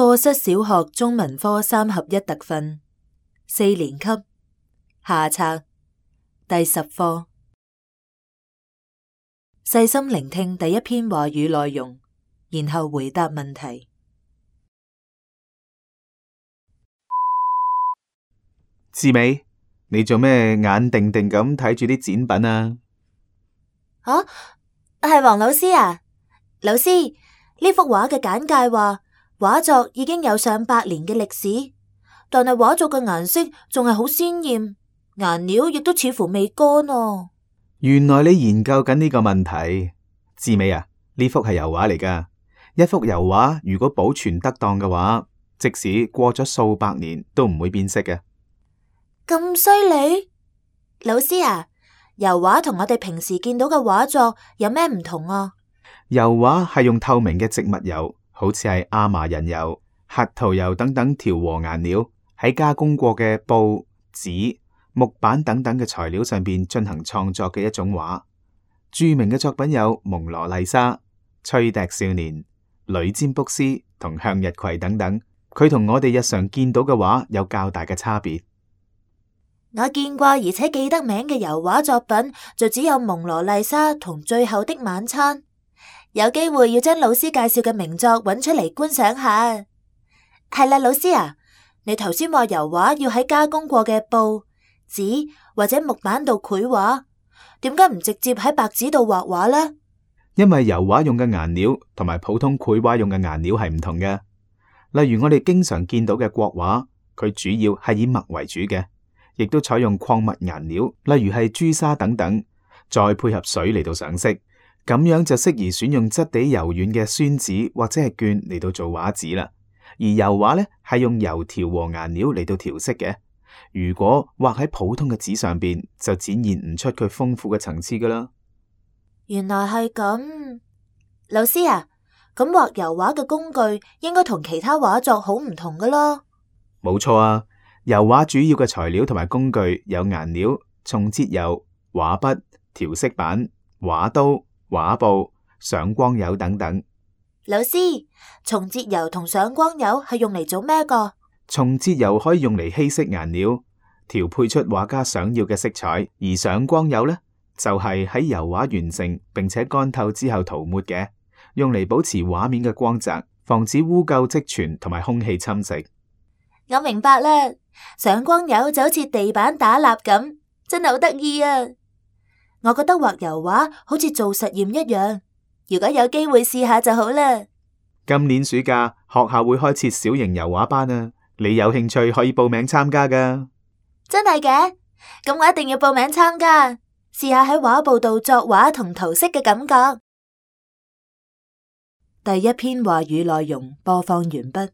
課室小學中文科3合1特訓4年級下冊第10課。細心聆聽第一篇話語內容，然後回答問題。志美，你做咩眼定定咁睇住啲展品啊？係黃老師啊。老師，呢幅畫嘅簡介話畫作已經有上百年嘅歷史，但係畫作嘅顏色仲係好鮮艷，顏料亦都似乎未乾啊。原來你研究緊呢個問題。志美啊，呢幅係油畫嚟㗎。一幅油畫如果保存得當嘅話，即使過咗數百年都唔會變色嘅。咁犀利？老師啊，油畫同我哋平時見到嘅畫作有咩唔同啊？油畫係用透明嘅植物油，好似係亞麻仁油、核桃油等等調和顏料，喺加工過嘅布、紙、木板等等嘅材料上邊進行創作嘅一種畫。著名嘅作品有蒙羅麗莎、吹笛少年、女占卜師同向日葵等等。佢同我哋日常見到嘅畫有較大嘅差別。我見過而且記得名嘅油畫作品就只有蒙羅麗莎同最後的晚餐。有機會要將老師介紹嘅名作揾出嚟觀賞下。係啦，老師啊，你頭先話油畫要喺加工過嘅布、紙或者木板度繪畫，點解唔直接喺白紙度畫畫呢？因為油畫用嘅顏料同埋普通繪畫用嘅顏料係唔同嘅。例如我哋經常見到嘅國畫，佢主要係以墨為主嘅，亦都採用礦物顏料，例如係朱砂等等，再配合水嚟到上色。咁樣就適宜選用質地柔軟嘅宣紙或者係絹嚟到做畫紙啦。而油畫呢，係用油調和顏料嚟到調色嘅。如果畫喺普通嘅紙上邊，就展現唔出佢豐富嘅層次噶啦。原來係咁，老師啊，咁畫油畫嘅工具應該同其他畫作好唔同噶咯？冇錯啊，油畫主要嘅材料同埋工具有顏料、松節油、畫筆、調色板、畫刀、畫布、上光油等等。老師，松節油同上光油係用嚟做咩噶？松節油可以用嚟稀釋顏料，調配出畫家想要嘅色彩；而上光油呢，就係喺油畫完成並且乾透之後塗抹嘅，用嚟保持畫面嘅光澤，防止污垢積存同埋空氣侵蝕。我明白啦，上光油就好似地板打蠟咁，真係好得意啊！我覺得畫油畫好似做實驗一樣，如果有機會試下就好啦。今年暑假學校會開設小型油畫班啊，你有興趣可以報名參加噶。真係嘅？咁我一定要報名參加，試下喺畫布度作畫同塗色嘅感覺。第一篇話語內容播放完畢。